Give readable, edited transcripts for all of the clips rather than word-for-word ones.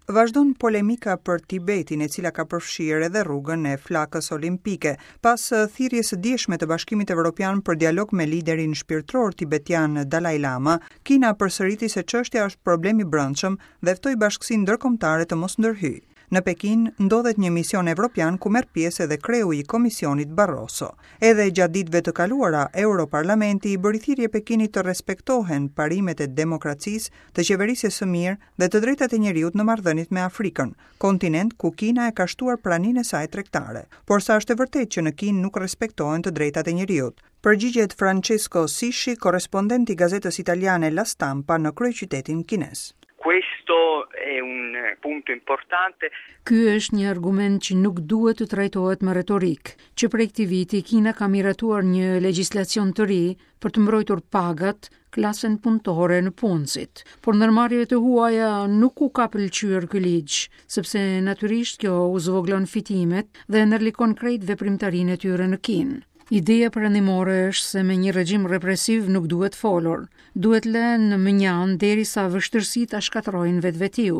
Vazhdon polemika për Tibetin, e cila ka përfshirë edhe rrugën e flakës olimpike. Pas thirrjes së djeshme të Bashkimit Evropian për dialog me liderin shpirtëror tibetian Dalai Lama, Kina përsëriti se çështja është problem i brendshëm dhe ftoi bashkësinë ndërkombëtare të mos ndërhyjë. Në Pekin ndodhet një mision evropian ku merr pjesë edhe kreu i Komisionit Barroso. Edhe gjatë ditëve të kaluara, Europarlamenti i bëri thirrje Pekinit të respektohen parimet e demokracisë, të qeverisjes së mirë dhe të drejtat e njeriut në marrëdhëniet me Afrikën, kontinent ku Kina e ka shtuar praninë e saj tregtare. Por sa është e vërtetë që në Kinë nuk respektohen të drejtat e njeriut? Përgjigjet Francesco Sisci, korrespondent i gazetës italiane La Stampa në kryeqytetin kinez. Questo è un punto importante. Ky është një argument që nuk duhet të trajtohet me retorikë. Që prej këtij viti Kina ka miratuar një legjislacion të ri për të mbrojtur pagat, klasën punëtore nëpunësit. Por ndërmarrjeve të huaja nuk u ka pëlqyer ky ligj, sepse natyrisht kjo u zvogëlon fitimet dhe ndërlikon krejt veprimtarinë e tyre në Kinë. Ideja perëndimore është se me një regjim represiv nuk duhet folur, duhet lënë mënjanë derisa vështirësitë ta shkatërrojnë vetvetiu.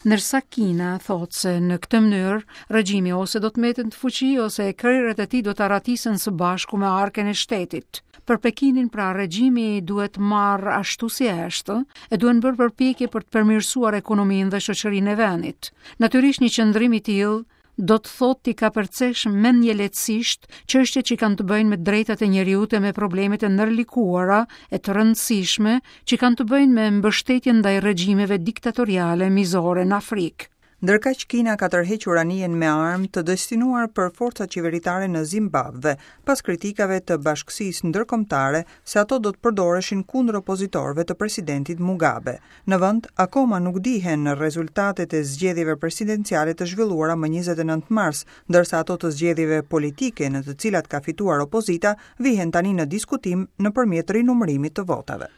Ndërsa Kina thotë se në këtë mënyrë regjimi ose do të mbetet në fuqi ose krerët e tij do të arratisen së bashku me arkën e shtetit. Për Pekinin pra regjimi duhet marrë ashtu si është e duhen bërë përpjekje për të përmirësuar ekonominë dhe shoqërinë e vendit. Natyrisht një qëndrim i tillë do të thotë t'i kapërcesh mendjelehtësisht çështjet që kanë të bëjnë me të drejtat e njeriut e me problemet e ndërlikuara e të rëndësishme që kanë të bëjnë me mbështetjen ndaj regjimeve diktatoriale mizore në Afrikë. Ndërkaq Kina ka tërhequr anijen me armë të destinuar për forcat qeveritare në Zimbabve, pas kritikave të bashkësisë ndërkombëtare se ato do të përdoreshin kundër opozitorëve të presidentit Mugabe. Në vend, akoma nuk dihen rezultatet e zgjedhjeve presidenciale të zhvilluara më 29 mars, ndërsa ato të zgjedhjeve politike në të cilat ka fituar opozita vihen tani në diskutim nëpërmjet rinumërimit të votave.